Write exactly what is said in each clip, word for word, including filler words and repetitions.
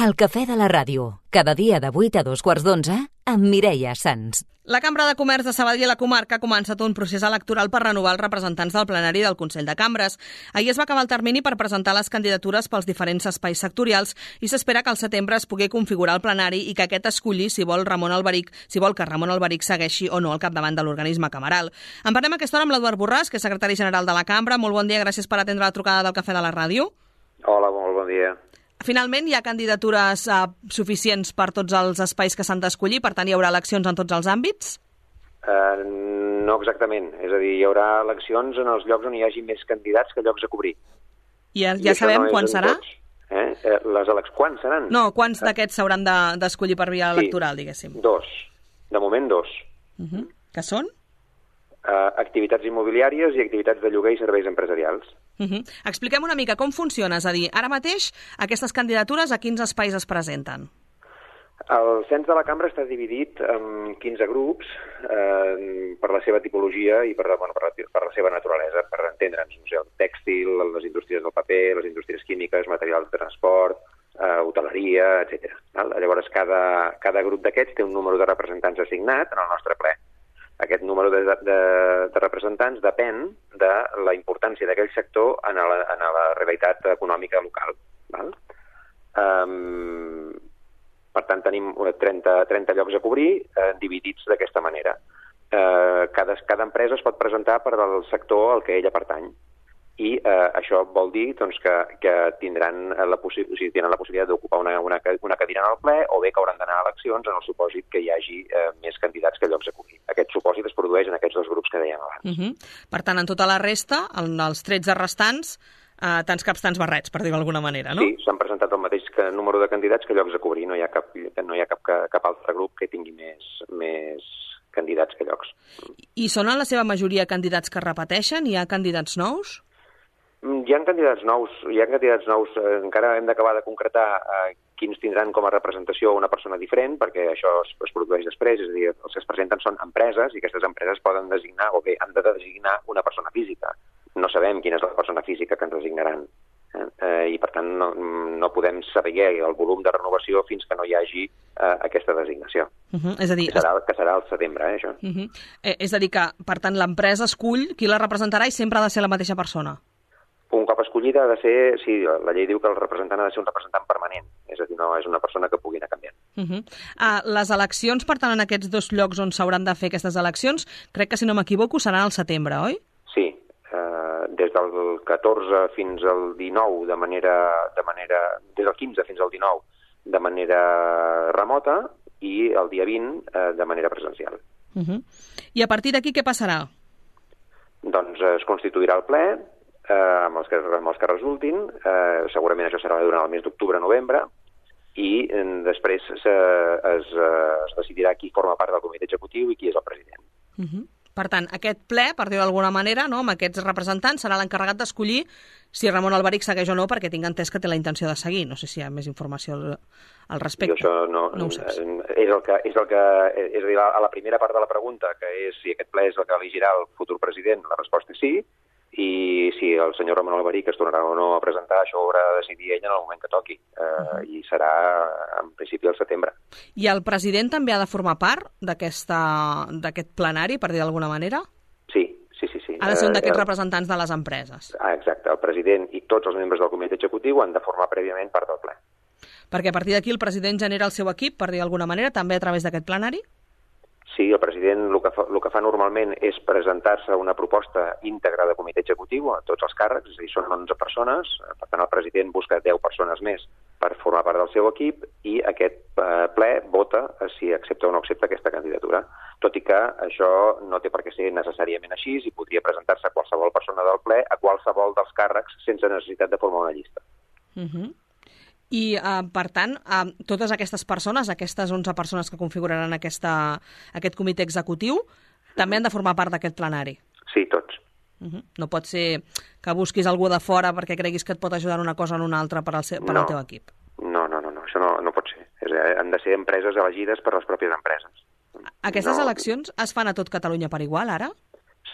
El cafè de la ràdio, cada dia de vuit a dos quarts d'onze, amb Mireia Sans. La Cambra de Comerç de Sabadell i la comarca ha començat un procés electoral per renovar els representants del plenari del Consell de Cambres. Ahir es va acabar el termini per presentar les candidatures pels diferents espais sectorials i s'espera que al setembre es pugui configurar el plenari i que aquest esculli si vol Ramon Alberic, si vol que Ramon Alberic segueixi o no al capdavant de l'organisme cameral. En parlem a aquesta hora amb l'Eduard Borràs, que és secretari general de la Cambra. Molt bon dia, gràcies per atendre la trucada del Cafè de la Ràdio. Hola, molt bon dia. Finalment, hi ha candidatures uh, suficients per tots els espais que s'han d'escollir? Per tant, hi haurà eleccions en tots els àmbits? Uh, no exactament. És a dir, hi haurà eleccions en els llocs on hi hagi més candidats que llocs a cobrir. I ja, ja I sabem no quan serà? Eh? Eh, les eleccions, quan seran? No, quants d'aquests s'hauran d'escollir per via electoral, sí, diguéssim? Dos. De moment, dos. Uh-huh. Que són? Uh, activitats immobiliàries i activitats de lloguer i serveis empresarials. Uh-huh. Expliquem una mica com funciona, és a dir, ara mateix aquestes candidatures a quins espais es presenten? El cens de la cambra està dividit en quinze grups eh, per la seva tipologia i per, bueno, per, la, per la seva naturalesa, per entendre'ns, no sé, el tèxtil, les indústries del paper, les indústries químiques, materials de transport, eh, hoteleria, etcètera. Llavors, cada, cada grup d'aquests té un número de representants assignat en el nostre ple. Aquest número de, de, de representants depèn de la importància d'aquell sector en la, en la realitat econòmica local. Val? Um, per tant, tenim trenta, trenta llocs a cobrir, eh, dividits d'aquesta manera. Eh, cada, cada empresa es pot presentar per al sector al que ella pertany. I eh, això vol dir doncs, que, que tindran la, possi o sigui, tenen la possibilitat d'ocupar una, una, una cadira en el ple o bé que hauran d'anar a eleccions en el supòsit que hi hagi eh, més candidats que llocs a cobrir. Aquest supòsit es produeix en aquests dos grups que dèiem abans. Uh -huh. Per tant, en tota la resta, en els tretze restants, eh, tants caps, tants barrets, per dir-ho d'alguna manera, no? Sí, s'han presentat el mateix que número de candidats que llocs a cobrir. No hi ha cap, no hi ha cap, cap altre grup que tingui més, més candidats que llocs. I són en la seva majoria candidats que repeteixen? Hi ha candidats nous? Hi ha candidats nous, hi ha candidats nous. Encara hem d'acabar de concretar eh, quins tindran com a representació una persona diferent, perquè això es, es produeix després, és a dir, els que es presenten són empreses i aquestes empreses poden designar, o bé han de designar una persona física. No sabem quina és la persona física que ens designaran. Eh? Eh, I, per tant, no, no podem saber el volum de renovació fins que no hi hagi eh, aquesta designació. Uh -huh. És a dir, que, serà, que serà al setembre, eh, això. Uh -huh. eh, és a dir, que, per tant, l'empresa escull qui la representarà i sempre ha de ser la mateixa persona. Un cop escollida ha de ser, sí, la llei diu que el representant ha de ser un representant permanent, és a dir, no és una persona que pugui anar canviant. Uh -huh. uh, les eleccions, per tant, en aquests dos llocs on s'hauran de fer aquestes eleccions, crec que, si no m'equivoco, seran al setembre, oi? Sí, uh, des del catorze fins al dinou, de manera, de manera, des del quinze fins al dinou, de manera remota, i el dia vint uh, de manera presencial. Uh -huh. I a partir d'aquí què passarà? Doncs uh, es constituirà el ple, Eh, amb, els que, amb els que resultin, eh, segurament això serà durant el mes d'octubre-novembre, i eh, després se, es, eh, es decidirà qui forma part del comitè executiu i qui és el president. Uh -huh. Per tant, aquest ple, per dir-ho d'alguna manera, no, amb aquests representants, serà l'encarregat d'escollir si Ramon Alberic segueix o no, perquè tinc entès que té la intenció de seguir. No sé si hi ha més informació al, al respecte. Jo això no, no ho saps. És el que, és el que, és a dir, a la primera part de la pregunta, que és si aquest ple és el que elegirà el futur president, la resposta és sí. I si el senyor Ramon Alberic es tornarà o no a presentar, això ho haurà de decidir ell en el moment que toqui, eh, uh -huh. i serà en principi al setembre. I el president també ha de formar part d'aquest plenari, per dir d'alguna manera? Sí, sí, sí. sí. Ha de ser un d'aquests eh, representants de les empreses. Ah, exacte, el president i tots els membres del comitè executiu han de formar prèviament part del ple. Perquè a partir d'aquí el president genera el seu equip, per dir d'alguna manera, també a través d'aquest plenari? Sí, el president el que fa, el que fa normalment és presentar-se una proposta íntegra de comitè executiu a tots els càrrecs, és a dir, són onze persones, per tant el president busca deu persones més per formar part del seu equip i aquest eh, ple vota si accepta o no accepta aquesta candidatura. Tot i que això no té per què ser necessàriament així i podria presentar-se qualsevol persona del ple a qualsevol dels càrrecs sense necessitat de formar una llista. Uh -huh. I, uh, per tant, uh, totes aquestes persones, aquestes onze persones que configuraran aquesta, aquest comitè executiu, també han de formar part d'aquest plenari? Sí, tots. Uh -huh. No pot ser que busquis algú de fora perquè creguis que et pot ajudar en una cosa o en una altra per al, seu, per no. al teu equip? No, no, no, no. Això no, no pot ser. És, eh, han de ser empreses elegides per les pròpies empreses. Aquestes no. eleccions es fan a tot Catalunya per igual, ara?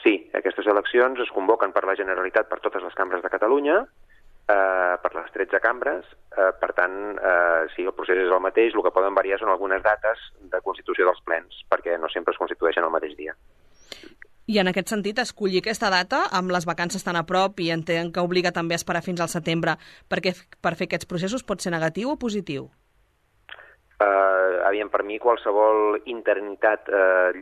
Sí, aquestes eleccions es convoquen per la Generalitat per totes les cambres de Catalunya eh, per les tretze cambres. Eh, per tant, eh, sí, el procés és el mateix, el que poden variar són algunes dates de constitució dels plens, perquè no sempre es constitueixen el mateix dia. I en aquest sentit, escollir aquesta data, amb les vacances tan a prop, i entenc que obliga també a esperar fins al setembre, perquè per fer aquests processos pot ser negatiu o positiu? Uh, aviam, per mi qualsevol interinitat uh,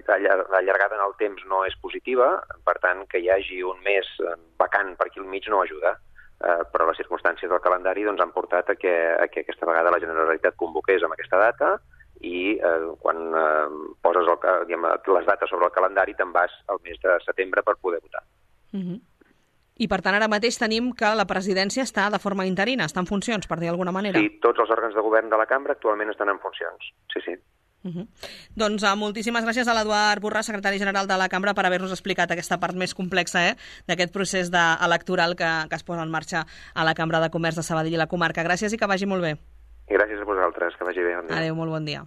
allargada en el temps no és positiva, per tant, que hi hagi un mes vacant per aquí al mig no ajuda. Uh, però les circumstàncies del calendari doncs, han portat a que, a que aquesta vegada la Generalitat convoqués amb aquesta data i eh, quan eh, poses el, diguem, les dates sobre el calendari te'n vas al mes de setembre per poder votar. Uh-huh. I per tant ara mateix tenim que la presidència està de forma interina, està en funcions, per dir d'alguna manera? Sí, tots els òrgans de govern de la cambra actualment estan en funcions, sí, sí. Uh-huh. Doncs uh, moltíssimes gràcies a l'Eduard Borràs, secretari general de la Cambra, per haver-nos explicat aquesta part més complexa eh, d'aquest procés de, electoral que, que es posa en marxa a la Cambra de Comerç de Sabadell i la comarca. Gràcies i que vagi molt bé. I gràcies a vosaltres, que vagi bé. Adéu, molt bon dia.